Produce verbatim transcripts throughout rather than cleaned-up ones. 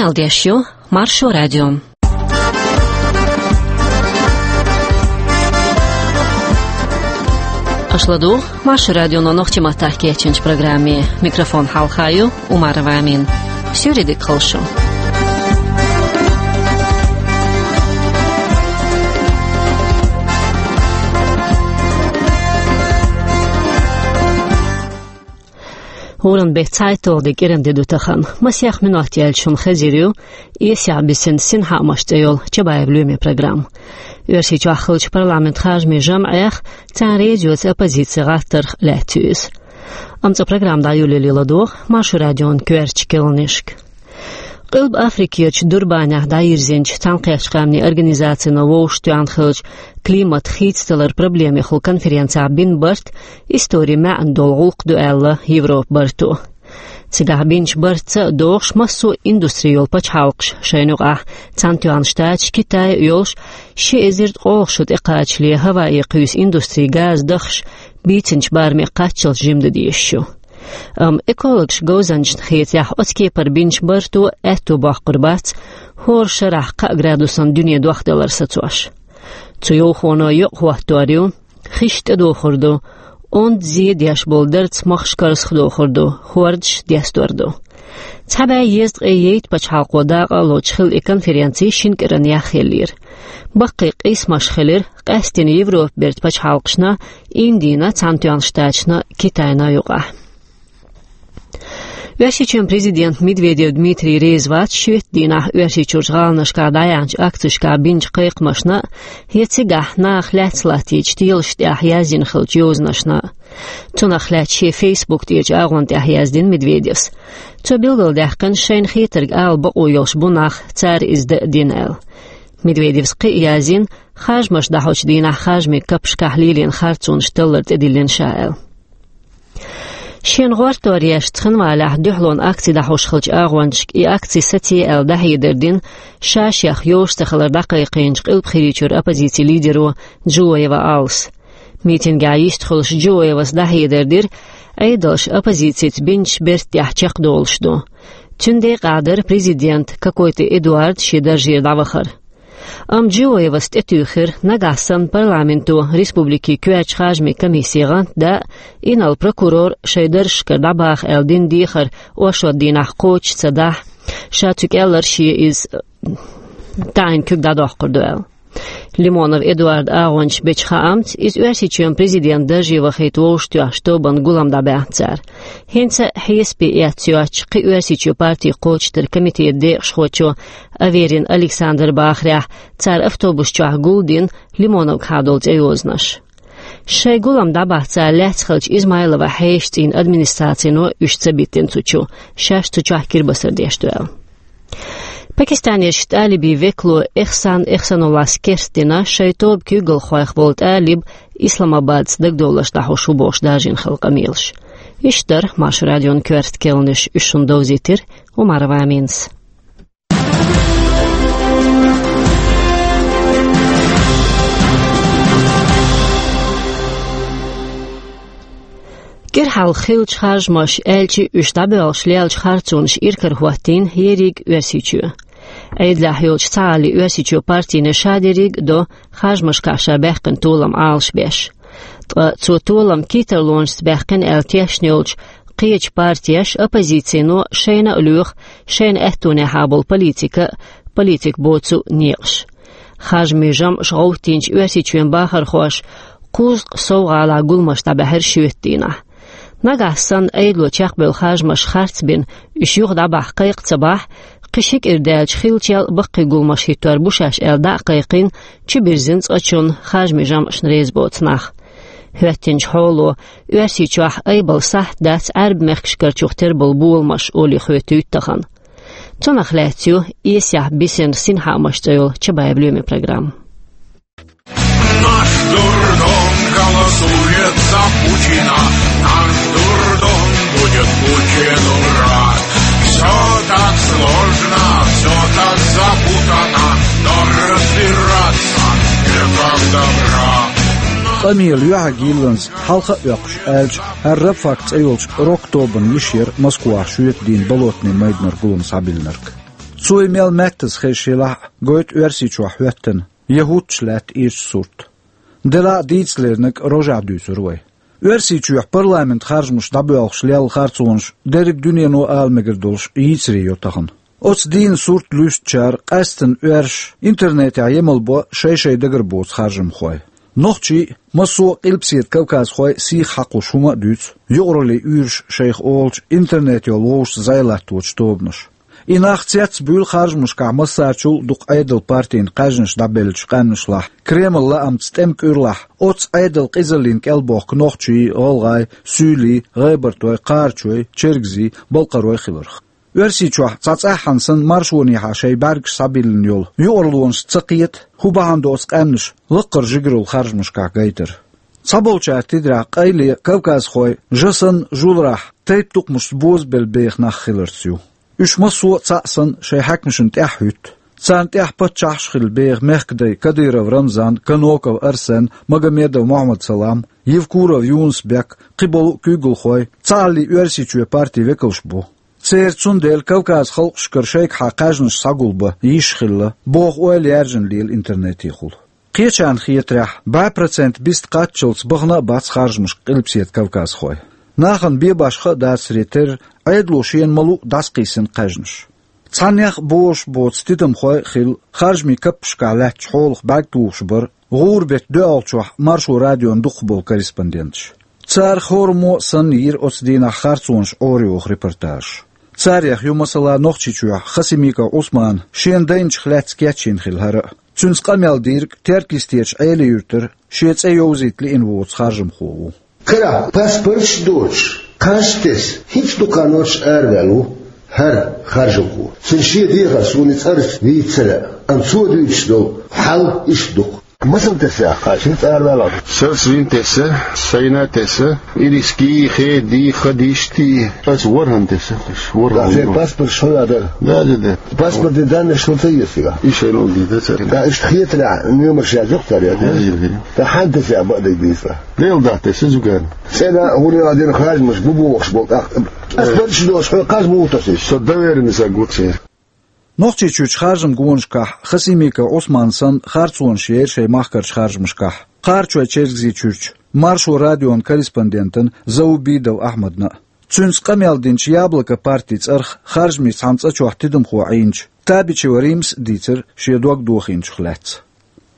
Ӏалдеш ю Маршо радио. Аша ладугӀу Маршо радионо нохчийн маттахь кечйинчу программе. Микрофон хьалха ю Умарова Амина. Суьйре дика хуьлда шу. ХӀоранна беттан цхьайтталгӀа де кӀиранди ду тахана. Масех минот яьлча шуна хезар ю эсехь бисина «Синхаамаш» цӀе йолу Чабаев Лоьмин программа. Оьрсийчохь хиллачу парламентан харжамийн жамӀех, царна реза йоцу оппозицин гӀаттарх лаьцна ю иза. Амма цкъа программа дӀайолале ладогӀа Маршо радион коьртачу кхаьънашка. Къилба Африкерчу Дурбанехь дӀайирзинчу Цхьаьнакхеттачу Къаьмнийн Организацино вовшахтоьхна хиллачу климат хийцадаларан проблемехула конференцехь бина барт историн маьӀна долу гӀуллакх ду аьлла Европан барто. Цигахь бинчу бартаца а догӀуш, массо а индустри йолу пачхьалкхаш, шайна юкъахь Цхьаьнатоьхна Штаташ, Китай а йолуш, ши эзар ткъолгӀа шо тӀекхачале Гавайи кхуьйсу индустри газа дахаш бийцинчу бараме кхаччалц жима дан дезаш ю. Амма экологаш говзанчашна хетарехь, оцу кепара бинчу барто аьтто боккхур бац хӀора шарахь кхаа градусан дуьне дохдалар сацош. Цу йовхоно йоӀ хӀоттор ю, хиш тӀедохур ду, онда зе деш болу дарц махкаш карзахдохур ду, хӀордаш дестор ду. Цхьа бӀе езткъе ейта пачхьалкхо дакъа а лоцуш хилла и конференци шина кӀиранах хиллера. Баккхий къийсамаш хилира къаьсттина Европан бертан пачхьалкхашна, Индина, Цхьаьнатоьхначу Штаташна, Китайна юкъахь. Оьрсийчоьнан президент Медведев Дмитрий реза вац шоьтан дийнахь Оьрсийчуьрчу гӀаланашкахь дӀаяьхьначу акцешкахь бинчу кхайкхамашна а, я цигахь наха лаьцна латтийчу телашна тӀехь яздина хиллачу йозанашна а. Цунах лаьцна шен Facebook тӀерачу агӀонна тӀехь яздина Медведевс. Цо билгалдаьккхина, шайна хетарг ала бакъо йолуш бу нах, цара иза дан а дина аьлла. Медведевс кхин а яздина, харжамаш дӀахьочу дийнахь харжамийн капашкахь лелийна харцонаш таллар тӀедиллина ша аьлла. Шена гӀортор еш Цхинвалехь дуьхьалонан акци дӀахьош хиллачу агӀончашка и акци сацае аьлла дӀахьедар дина ша-шех йозуш ца хилар дӀакхайкхийначу Къилба ХӀирийчуьра оппозицин лидеро Джиоева Аллас. Митингехь йистхуьлуш Джиоевас дӀахьедар дира, Ӏедалша оппозицица бинчу бертан тӀехь чекхдолуш ду. Цуьнан декъахь дара президент Кокойты Эдуард шен даржера дӀавахар. Амма Джиоевас тӀетуьйхира, нагахь санна парламенто республикин коьртачу харжамийн комиссин гӀантда а, инарла прокурор шайн даржашкара дӀабаха аьлла дина дехар оршот дийнахь кхочуш ца дахь, ша цу кӀелара шен иза таӀийна куьг дӀадоккхур ду аьлла. Лимонов Эдуардан агӀончаша бечу хаамца, иза Оьрсийчоьнан президентан дарже вахийта вовшахтоьхначу тобанна гулам дӀабаьхна цара. ХӀинца а хьесапе эцна йоцчу кхин Оьрсийчоьнан партийн кхочушдаран комитетан декъашхочо Аверин Александра бахарехь, цара автобус чохь гулдина Лимоновгахьа долу цӀейозанаш. Шайн гулам дӀабахьа цара лаьцна хиллачу Измайлова Хьешан цӀийнан администрацино уьш ца биттина цу чу, шаьш цу чохь кирбасар деш ду аьлла. Пакистанерчу тӀалибийн векало Эхсан Эхсануллас керстдина, шайн тоба куьйгалхойх волу тӀалиб Исламабадца дагадовларш дӀахьош ву бохуш даржийна хилла къамелаш. Иштта дара Маршо радион коьрта кхаьънаш, уьш шуна довзийтира Умарова Аминас. КӀира хьалха хиллачу харжамаша, аьлча а, уьш дӀабоьлхуш леллачу харцонаш иракарахӀоттийна ерриг Оьрсийчоь. Ӏедалехь йолчу Цхьааллин Оьрсийчоьнан партино ша дерриг а до харжамашкахь ша баьккхина толам Ӏалашбеш. Ткъа цо толам кийттарлонашца баьккхина аьлла тешна йолчу кхечу партеша, оппозицино шайна а лоьху шайна аьттонехьа болу политика а, политика боцу а некъаш. Харжамийн жамӀаш гӀовттийначу Оьрсийчоьнан бахархоша кхузткъа сов гӀалахь гуламаш дӀабаьхьира шоьтан дийнахь. Нагахь санна Ӏедало чекхбевлла харжамаш харцбина, уьш юха дӀабахьа кхайкха ца бахь, кхин ши кӀира даьлча хиллачул а баккхий гуламаш хӀиттор бу шаьш аьлла дӀа а кхайкхийна, чубирзина цкъачунна, харжамийн жамӀашна реза боцу нах. ХӀоьттинчу хьоло Оьрсийчохь айбалла сахьт дац Ӏаьрбийн мехкашкарчух тера болу боламаш олий хоьтуьйту тахана. Цунах лаьцна ю эсехь бисина «Синхаамаш» цӀе йолу Чабаев Лоьмин программа. Наш дурдом голосует за Путина, наш дурдом будет Путину рад. Все так сложно, все так запутано, но разбираться некогда, брат. Къамелан юьхьиг йилланза хьалха а оьккхуш аьлча, хӀара «Рабфак» цӀе йолчу рок-тобанна йиш яра Москвахь шоьтан дийнахь Болотный майданара гулам схьабиллинарг. Цо и мел меттаза хезаш елахь а, гойту Оьрсийчохь хӀоьттина, я хӀуттуш лаьтта ирча сурт. Делахь а дийцалерниг рожехь дуьйцура вай. Оьрсийчоьхь парламент харжамаш дӀабоьлхуш лелла харцонаш дерриг дуьнено ала мегар долуш йийцаре йо тахана. Оцу дийнан сурт луьстучара къаьсттина оьрсаша интернетехь емал бо шай-шай дагар боцу харжамхой. Нохчий а, массо а Къилбаседа кавказхой сийха хьакхуш хӀума а дуьйцу, юкъараллин уьйраш шайх олучу интернет йолу вовшашца зӀе латточу тобанаша. И нах цецбуьйлу харжамашкахь массарчул а дукха Ӏедал партийн кхаьжнаш дӀабеллачу къаьмнашлахь, Кремль лаамца тӀеман кӀуьрлахь, оццу Ӏедал къизаллина кӀел бохку нохчий, гӀалгӀай, суьйлий, гӀебартой, кхарачой, чергазий, балкхарой хиларх. Оьрсийчохь цхьа цӀахь санна маршонехьа шайн бӀаьргаш схьабиллина йолу юкъараллонаш ца кхета, хӀун бахьана до оцу къаьмнаша лаккхара жигаралла харжамашкахь гайтар. Цхьаболчара тидарехь къайле кавказхой жа санна жуларахь тайп-тукхамашца бозабелла беха нах хиларца ю. Уьш массо а цхьаъ санна шайн хьаькамашна тӀаьхьахӀуьтту. Царна тӀехь паччахьаш а хилла беха мехкадай Кадыров Рамзан, Каноков Арсен, Магомедов Мохьмад-Салам, Евкуров Юнус-Бек, кхиболу а куьйгалхой цхьааллий Оьрсийчоь партин векалш бу. Церан цундела Кавказ халкъашкара шайгахьа кхаьжнаш схьагулбан йиш хилла, боху ойла яьржина лела интернетехула. Кхечарна хетарехь, бӀе процент бист кхаччалц бахана а бац харжамашка Къилбаседа кавказхой. Нахана бен башха а дацаре терра, Ӏедало шена ма-луъу дӀасакхийсина кхаьжнаш. Цхьаннех а бозуш боцу тидамхой а хилла, харжамийн каппашкахь лаьттачу хьолах бӀаьрг тухуш бара гӀуран беттан доьалгӀачохь Маршо радион дукхахболу корреспонденташ. Царах хӀораммо а санна йира оцу дийнахь харцонаш Ӏорайоху репортажаш. Царех ю, масала, Нохчийчохь Хасимиков Ӏусмана шена дайначух лаьцна кечйина хилла хӀара а. Цуьнца къамел дийриг Теркйистечу Ӏелин-Юьртара шен цӀе йовзийта лиъна воцу харжамхо ву. Карахь паспорташ а доцуш, кхаж а тесна, хӀинца дукха нохчий араваьлла ву хӀара харжамхо. Цуьнан шен дехар суна и цӀарца вийца ца лаьа, амма цо дуьйцуш долу хьал иштта ду-кх. Масал тесна кхаж хӀинца араваьлла? Сан вина тесна, сайна а тесна, ириски, хеди, хадишти. Ас ворхӀан тесна, ворхӀан. Да, шайн паспорт шуна дара. Да, да, да. Паспортан даннаш хӀун ца еза цигахь? И шайн лугӀа ди, да, цара. Да, иштта хетарехь, номерш яздо-кх цара, я? Яздо, яздо. Ткъа хьанна тесна бакъдерг дийцахь? Лела дахь тесна зугарна. ЦӀена а, хӀуна а дина харжамаш бу бохуш болу тӀаккха. Ас барча долуш хьо кхаж муха тосуьйту? Со доверенность а гу церан. Нохчийчуьрчу харжамгонашкахь Хасимиков Ӏусман санна харцонаш яра шайн махкарчу харжамашкахь, Кхарачой-Чергазийчуьрчу Маршо радион корреспондентан Заубидов Ахьмадна а. Цуьнца къамел динчу Яблоко партин цӀарах харжамийн цхьана цӀа чохь тидамхо Ӏийначу Табичева Римас а дийцира шен дог дохийначух лаьцна.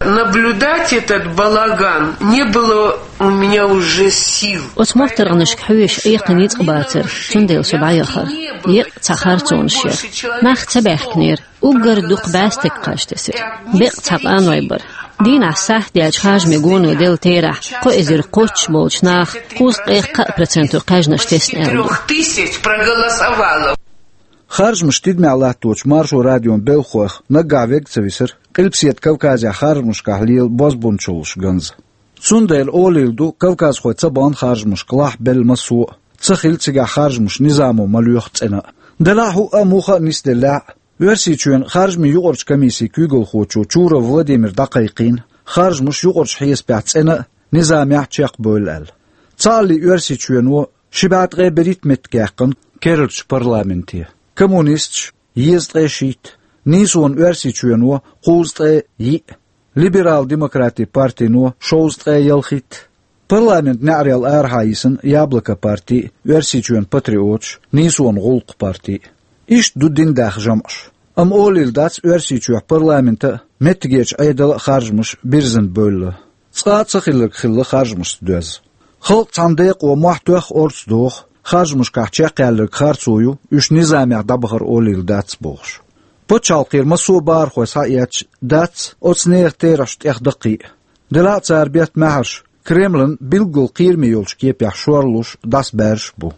Наблюдать этот балаган не было у меня уже сил. Оцу моттаргӀанашка хьоьжуш экха ницкъ бацара, цундела со дӀаяхара. Еккъа цхьа харцонаш яра. Нах ца баьхкинера. Уггар дукха бӀе стаг кхаж тесира. Беккъа цхьа къаной бара. Дийнахь сахьт даьлча харжамийн гоно делла терахь, кхо эзар кхоччуш болчу наха кхузткъе кхаа проценто кхаьжнаш тесна аьлла ду. Трёх тысяч проголосовало. Харжамаш тидамехь латточу Маршо радион белхалойх наггахь верг ца висира Къилбаседа Кавказехь харжамашкахь лела бозбунчаллаш ганза. Цундела олийла ду, кавказхой ца бахна харжамашка лахьбелла массо а, ца хилла цигахь харжамаш низамо ма лоьху цӀена а. Делахь а хӀуъа а, муха а нисделлехь а, Оьрсийчоьнан харжамийн юкъарчу комиссин куьйгалхочо Чуров Владимира дӀакхайкхийна, харжамаш юкъарчу хьесапехь цӀена а, низамехь а чекхбевлла аьлла. Цхьааллий Оьрсийчоьно ши бӀе ткъе берхӀитта меттиг яьккхина керлачу парламенте, коммунисташа езткъе шийтта, нийсонан Оьрсийчоьно кхузткъе йиъ, либерал-демократийн партино шовзткъе ялхитта. Парламентан неӀарел арахьа йисина Яблоко парти а, Оьрсийчоьнан патриоташ, нийсонан гӀуллакхан парти а. Иштта ду дин даьхна жамӀаш. Амма олийла дац Оьрсийчоьнан парламентан а, меттигерчу Ӏедалан а харжамаш бирзина бевлла. Цкъа а ца хилларг хилла харжамашца доьзна. Халкъ цхьана декъо мохь тоьхна орца доху, харжамашкахь чекхъяьлларг харцо ю, уьш низамехь дӀабахар олийла дац бохуш. Пачхьалкхера массо а бахархой схьаэцча, дац оцу нехан терахьаш тӀехдаккхий а. Делахь а цара бетта маьхьарш Кремлан билггал кхераме йолчу кепехь шорлуш, дӀасабаьржаш а бу.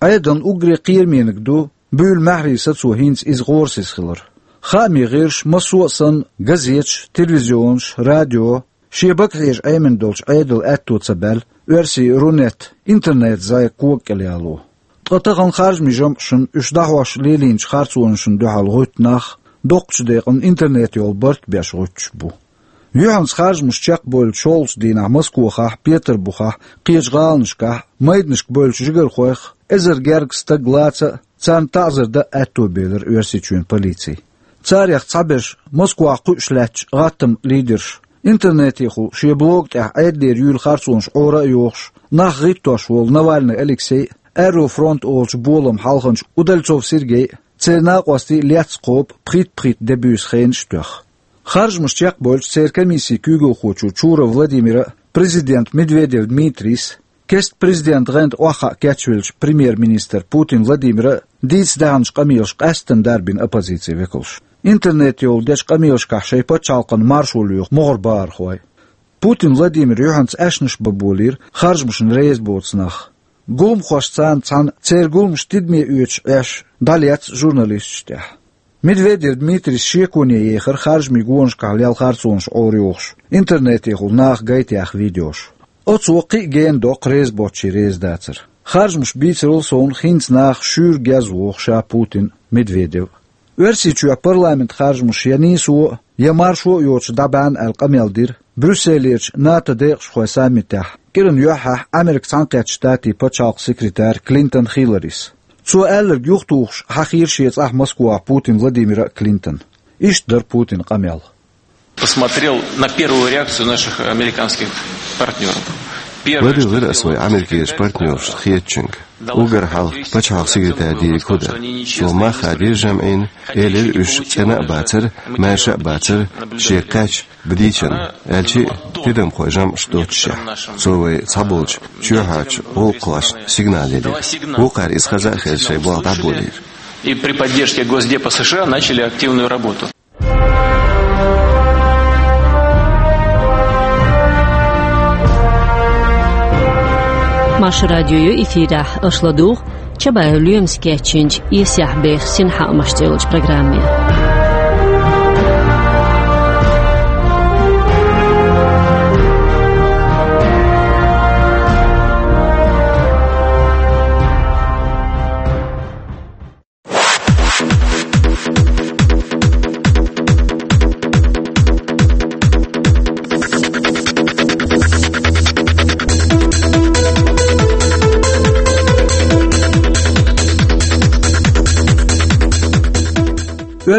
Ӏедална уггаре кхераманиг ду буьйлу маьхьарийн сацо хӀинца иза гӀорасиз хилар. Хаамийн гӀирсаша массо а санна, газеташ, телевизионаш, радио, шен багахьежа Ӏемина долчу Ӏедалан аьтто ца баьлла, оьрсийн Рунет интернет-зӀе кога кӀел яло. Ткъа тахана харжамийн жамӀашна, уьш дӀахьош лелийначу харцонашна дуьхьал гӀуьтту нах доккхачу декъана интернет йолу барт беш гӀуьттуш бу. Юьхьанца харжамаш чекхбевллачу шолгӀачу дийнахь Москохахь, Петарбухахь, кхечу гӀаланашкахь майданашка бевллачу жигархойх эзар гергга стаг лаца а, царна таӀзар дан а аьтто белира Оьрсийчоьнан полици. Царех цхьаберш Москвахь кхуьуш лаьтташ гӀаттаман лидерш. Интернетехула шен блог тӀехь Ӏедалера юьйла харцонаш Ӏора а йохуш, нах гӀиттош волу Навальный Алексей, Аэрофронт олучу боламан хьалханчу Удальцов Сергей, церан накъостий лецна кхобу пхийтта-пхийтта де буьйса хенаш а тоьхна. Харжамаш чекхбевлча, церан комиссин куьйгалхочо Чуров Владимира а, президент Медведев Дмитрийс а, кеста президентан гӀанта охьахаа кечвеллачу премьер-министр Путин Владимира а дийца даьхначу къамелаша къаьсттина дарбина оппозицин векалш. Интернетехула дечу къамелашкахь шайн пачхьалкхана маршо лоьху могӀара бахархой. Путин Владимира юьхьанца аьшнаш бан болийра харжамашна реза боцу нах. Гуламхошца цхьаьна церан гуламаш тидаме оьцуш Ӏеш дӀалецна журналисташна тӀехь. Медведев Дмитрийс шеконе ехира харжамийн гонашкахь лелла харцонаш Ӏора йохуш, интернетехула наха гайтаяьхна видеош. Оцо кхин а гена доккху реза боцчийн реза дацар. Харжамаш бийцарал совнаха хӀинца наха шуьйра геза воху ша Путин а, Медведев а. Оьрсийчоьнан парламентан харжамаш я нийсо а, я маршо а йоцуш дӀабаьхна аьлла къамел дира Брюсселерчу НАТО декъашхойн саммитехь кӀиран юьххьехь Америкин Цхьаьнакхеттачу Штатийн пачхьалкхан секретарь Клинтон Хилларис. Цо аьлларг юхатухуш хьахийра шен цӀахь Москвахь Путин Владимира а, Клинтон. Иштта дара Путинан къамел. Посмотрел на первую реакцию наших американских партнёров. Первое, что сделал наш президент, Владивир ас вай Америкерчу партнершна хетачуьнга. Уггар хьалха пачхьалкхан секретарь дийриг хӀу дара. Цо мах хадийра жамӀина, элира уьш цӀена а бацара, маьрша а бацара, шега кхаьчна, бан дийцина, аьлча а тидамхой жамӀаш доццушехь. Цо вай цхьаболчу чоьхьарчу гӀуллакхошна сигнал елира. Вукхара иза хаза а хезна шайн болх дӀаболийра. И при поддержке Госдепа США начали активную работу. Маршо радио ю эфирехь, аша ладугӀу Чабаев Лоьмас кечйинчу «Эсехь беха синхаамаш» цӀе йолчу программе.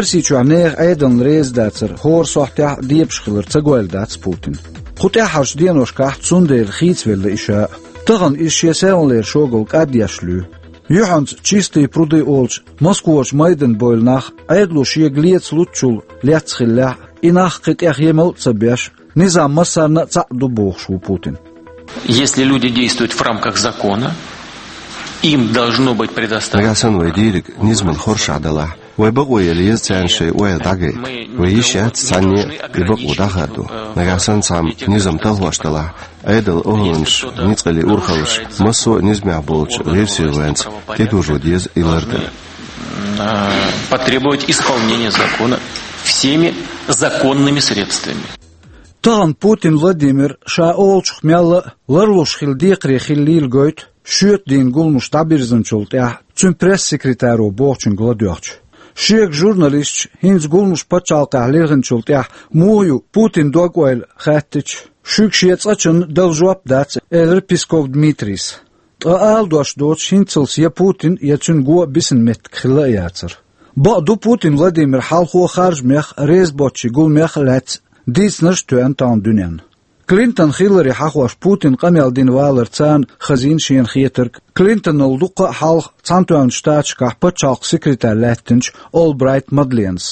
Оьрсийчохь нехан Ӏедална реза дацар хӀора сохьтехь а дебаш хилар ца гойла дац Путина. Кху тӀаьххьарчу деношкахь цундела хийцавелла и ша а. Тахана иза шен селханлера шогал кӀаддеш луьй. Юьхьанца «Чистые пруды» олучу Москварчу майдана бевлла нах, Ӏедало шега леца луьтучул лецна хиллехь а, и нах кхин тӀех емал а ца беш, низам массарна а цхьаъ ду бохуш ву Путин. Если люди действуют в рамках закона, им должно быть предоставлено. Нагахь санна вай дийриг низаман хоршахь далахь, вай бакъо яла еза царна шайн ойла дӀагайта. Вай йиш яц цхьанне а и бакъо дӀахадо. Нагахь санна цхьамма низам талхош далахь, Ӏедалан охӀланаш, ницкъаллин урхаллаш, массо а низамехь болчу гӀирсийн гӀоьнца тӀедужо деза и лардан. А, потребовать исполнения закона всеми законными средствами. Тахана Путин Владимир ша олучух мелла а ларлуш хилла декхаре хиллийла гойту, шоьтан дийнан гуламаш дӀабирзинчул тӀаьхьа цуьнан пресс-секретаро бохучуьнга ладоьгӀча. Шега журналисташа хӀинца гуламаш пачхьалкхехь лехначул тӀаьхьа муха ю Путинан дог-ойла хаьттича, шуьга шен цӀа чунна дала жоп дац, элира Песков Дмитрийс. Ткъа ала дош доцуш хӀинццалц я Путин, я цуьнан го бисина меттиг хилла а яцара. Бакъ ду, Путин Владимир хьалхо харжамех а, реза боцчийн гуламех а лаьцна дийцинарш а тоьхна тахана дуьненна. Клинтон Хиллари хьахош Путина къамел дина валар царна хазийна шена хетарг, Клинтонал дуккха а хьалха Цхьаьнатоьхначу Штаташкахь пачхьалкхан секретарь лаьттинчу Олбрайт Мадленас.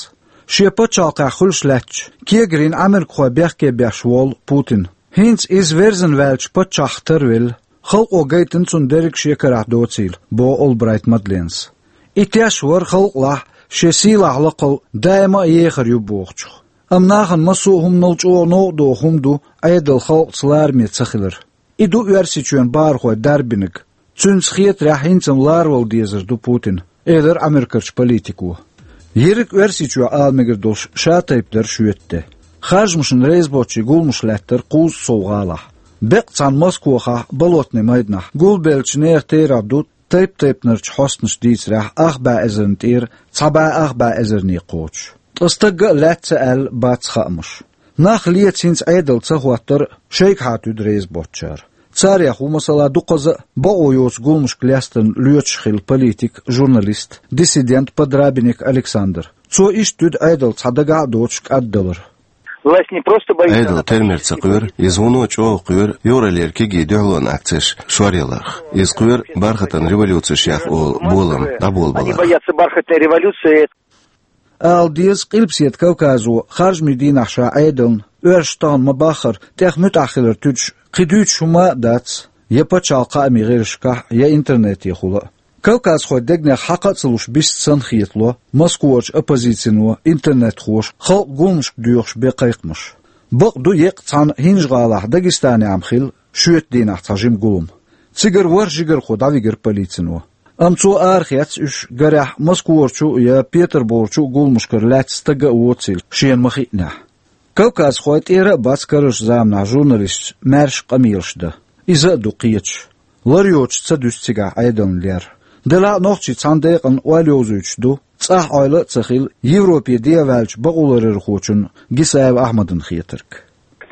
Шен пачхьалкхехь хуьлуш лаьттачу кегарийн Ӏамеркахой бехке беш волу Путин. ХӀинца иза верзина ваьллачу паччахьах тарвелла, халкъо гайтина цунна дерриг шен карахь доцийла, боху Олбрайт Мадленас. И теш вара халкъалахь шен сийлахь лакхал даима а ехар ю бохучух. Амма нахана массо а хӀуманал чӀогӀа новкъа доху хӀума ду Ӏедал халкъаца лараме ца хилар. И ду Оьрсийчоьнан бахархой дарбинарг. Цуьнца хетарехь, хӀинца-м ларавала дезар ду Путин, элира Америкерчу политико. Ерриг Оьрсийчохь ала мегар долуш ша тайпа дара шоьтан де. Харжамашна реза боцчийн гуламаш лаьттара кхузткъа сов гӀалахь. Беккъа цхьана Москвахахь, Болотный майданахь, гулбеллачу нехан терахь ду тайп-тайпанарчу хьостанаша дийцарехь, ах бӀе эзарна тӀера цхьа бӀе ах бӀе эзарне кхочуш. Ткъа стагга а лаьцна ца аьлла бац хаамаш. Нах леца хӀинца Ӏедал ца хӀоттар а шайгахьа туьду реза боцучара. Царех ву, масала, дукхаза а бакъо йоцу гуламашка лестарна лоьцуш хилла политик, журналист, диссидент Подрабиник Александр. Цо иштта дуьйцу Ӏедал цхьа дагахь а доцуш кӀаддалар. Власть не просто боится... Ӏедал термер ца кхоьру, иза вуно чӀогӀа кхоьру Евролера кегий дуьхьалонан акцеш шоръяларх. Иза кхоьру бархатан революцеш яха олу болам дӀаболабаларх. Они боятся бархатной революции. Ала деза, Къилбаседа Кавказо харжамийн дийнахь ша Ӏедална, оьрсаша тахана ма-баххара, тӀех муьтӀахь хилар туьдуш кхин дуьйцуш хӀума а дац, я пачхьалкхан хаамийн гӀирсашкахь, я интернетехула а. Кавказхойн дегнех хьакха а ца луш бист санна хетало Москварчу оппозицино, интернетхоша халкъ гуламашка доьхуш бен кхайкхамаш. Бакъ ду, еккъа цхьана ХӀинжа-ГӀалахь Дагестанехь-м хилла шоьтан дийнахь цхьа жима гулам. Цигара ворхӀ жигархо дӀавигира полицино. Амма цо арахецна уьш, гарехь, Москварчу я Петарбугерчу гуламашкара лаьцна стаг а воцийла шена ма-хиънехь. Кавказхой тӀера а бац карарчу заманахь журналисташ маьрша къамелаш дан. Иза а ду кхеташ. Лар йоцуш ца дуьсу цигахь Ӏедална лер. Делахь а нохчий цхьана декъана ойла йовзуьйтуш ду, цӀахь ойла а ца хилла, Европе дӀаваьллачу бакъоларъярхочун Гисаев Ахьмадан хетарг.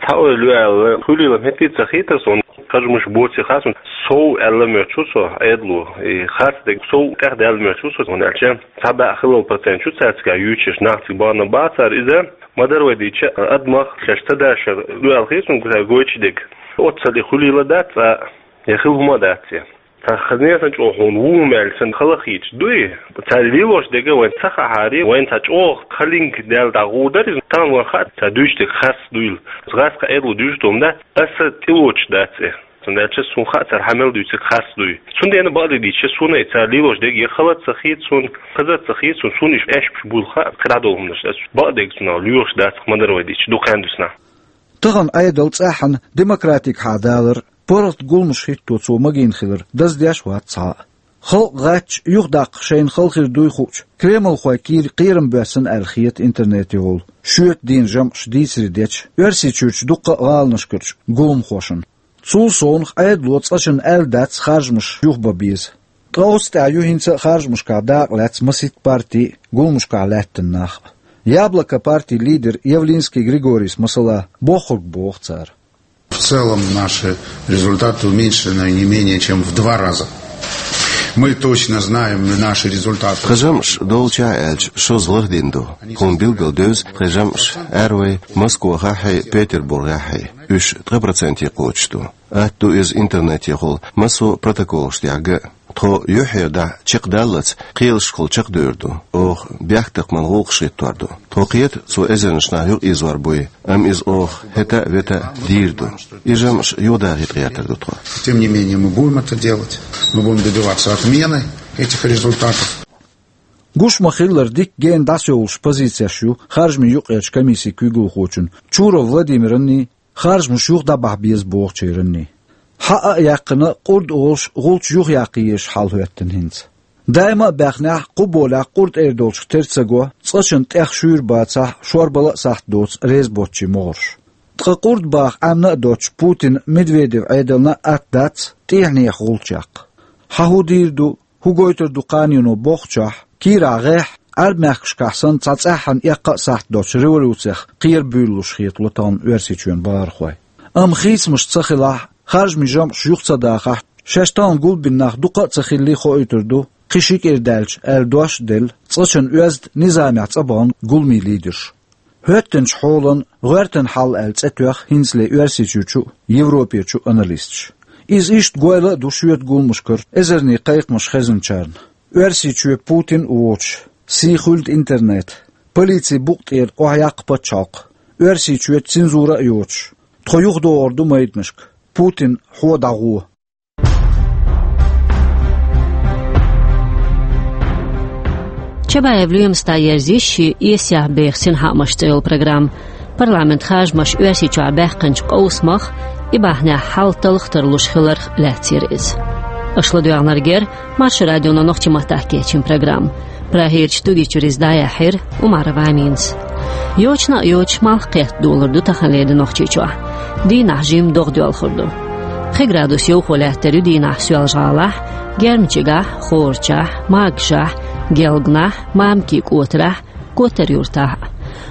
Цхьа ойла ю аьлла, хуьлийла хӀетте а ца хетара суна, харжамаш боций хаьа суна, сов аьлла моьттуш ву со Ӏедало, и харц дерг сов тӀехдаьлла моьттуш ву со, хӀунда аьлча цхьа бӀе хиллал процент ю цаьрца юьйцуш, нах цига бахана бацара иза, ма-дарра вай дийцича, адамах шаьш ца дашар ду аьлла хета суна, цара гойтуш дерг. Оццул и хуьлийла дац, цкъа я хилла хӀума а дац я. Цхьа хаза несан чӀогӀа хьуна ву хӀума аьлла санна хала хийцаш дуй? Цара лелош дерг вайна ца хаахьара, вайна цхьа чӀогӀа халинг даьлла дӀагӀур дара иза. Тахана вайна хаьа, цара дуьйцуш дерг харц дуйла. Герз кху Ӏедало дуьйцуш ду хӀума дац, аса тӀелоцуш дац и. Цундела ча суна хаьа, цара хьан мел дуьйцург харц дуй. Цундела бакъдерг дийцича, суна и цара лелош дерг я хала а ца хета суна, хаза а ца хета суна, суна уьш эшпаш буйла хаьа, кхидӀа долу хӀуманаш дац. Бакъдерг цунах лоьхуш дац, ма-дарра вай дийцича, дукха хан дуьсна. Тахана Ӏедал цӀеххьана демократигахьа далар, паргӀат гуламаш хӀитто цо магийна хилар даздеш а вац цхьа а. Халкъ гӀаттачу, юхадаккха шайна хала хир дуй хуучу кремлхойн кийра кхерам боьссина аьлла хета интернетехула шоьтан дийнан жамӀаш дийцаре дечу Оьрсийчуьрчу дуккха а гӀаланашкарчу гуламхошна. Цул совнаха Ӏедало цкъачунна аьлла дац харжамаш юхабан беза. Ткъа оцу тӀехь ю хӀинца а харжамашкахь дакъа лаьцна масийтта партий а, гуламашкахь лаьттина нах а. «Яблоко» партин лидер Явлинский Григорийс, масала, бохург боху цара. В целом наши результаты уменьшены не менее чем в два раза. Мы точно знаем наши результаты. Тхан жамӀаш долчохь аьлча шозлагӀа дина ду. Тхуна билггал девза тхан жамӀаш аьрру вай Москвахахьий, Петербургехьий. Уьш ткъа проценте кхочуш ду. Атта ду иза интернетехула массо а протоколаш тӀехь ган а. Тхо юьххьера дахьа чекхдаллалц кхелашкахула чекхдевр ду. Оха бехктакхаман гӀуллакхаш хӀиттор ду. Тхо кхета, цо эзарнаш нах юкъаэзор буй, амма иза оха хӀета а, вета а дийр ду. И жамӀаш юхадахийта гӀертар ду тхо. Тем не менее, мы будем это делать. Мы будем добиваться отмены этих результатов. Гуш ма-хиллара, дикка гена дӀасовлуш позицеш ю харжамийн юкъарчу комиссин куьйгалхочун Чуров Владимиранний, харжамаш юха дӀабахьа беза бохучеран. Хьаа а яьккхина, къурд олуш, гӀулч юхаяккха езаш хьал хӀоьттина хӀинца. Даима а баьхнехь, кху болехь къурд эр долчух тера ца го, цкъачунна тӀех шуьйра бацахь, шорбала а сахьт доцу реза боцчийн могӀарш. Ткъа къурд баха Ӏемина а доцчу Путин-Медведев Ӏедална а атта дац тӀаьхьенех гӀулч яккха. Хьан хӀун дийр ду, хӀун гойтур ду кханено бохучохь, кийрахь гӀеххьа, Ӏаьрбийн мехкашкахь санна, цхьа цӀеххьана эккха а сахьт доцчу революцех кхера буьйлалуш хетало тахана Оьрсийчоьнан бахархой. Амма хийцамаш ца хилахь, харжамийн жамӀаш юха ца дахахь, шаьш тахана гулбина нах дукха а ца хиллий хоуьйтур ду, кхин ши кӀира даьлча, аьлла дош а делла, цкъачунна оьзда низамехь цӀа бахана гуламийн лидерш. ХӀоьттинчу хьолан «ГӀоьртан хьал» аьлла цӀе тоьхна хӀинцале Оьрсийчуьрчу а, Европерчу а аналисташа. Иза иштта гойла а ду шоьтан гуламашкара эзарнийн кхайкхамаш хезначарна. Оьрсийчоь Путин а воцуш, сий хуьлда интернет, полицин букъа тӀера охьаяккха пачхьалкх, Оьрсийчоь цензура а йоцуш, тхо юхадогӀур ду майданашка, Путин хьо дӀагӀо. Чабаев Лоьмас дӀаерзийра шен «Эсех беха синхаамаш» цӀе йолу программа. Парламентан харжамаш Оьрсийчохь баьккхинчу къовсамах, и бахьанехь хьал талха тарлуш хиларх лаьцна яра иза. Аша ладоьгӀнарг яра Маршо радионо нохчийн маттахь кечйина программа. Прагерчу студи чуьра иза дӀаяьхьира Умарова Аминас. Йочана а йоцуш, малх кхетта долур ду таханлера де Нохчийчохь. Дийнахь жимма догӀа доьлхур ду. Пхи градус йовхо лаьттар ю дийнахь Соьлжа-ГӀалахь, Гермичигахь, Хорачахь, Маргашахь, Гелганахь, Мамикин кӀотарахь, Коттар-Юртахь а.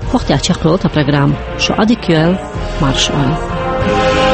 ХӀокху тӀехь чекхйолу тхан программа. Шу Ӏадика йойла, марша Ӏойла.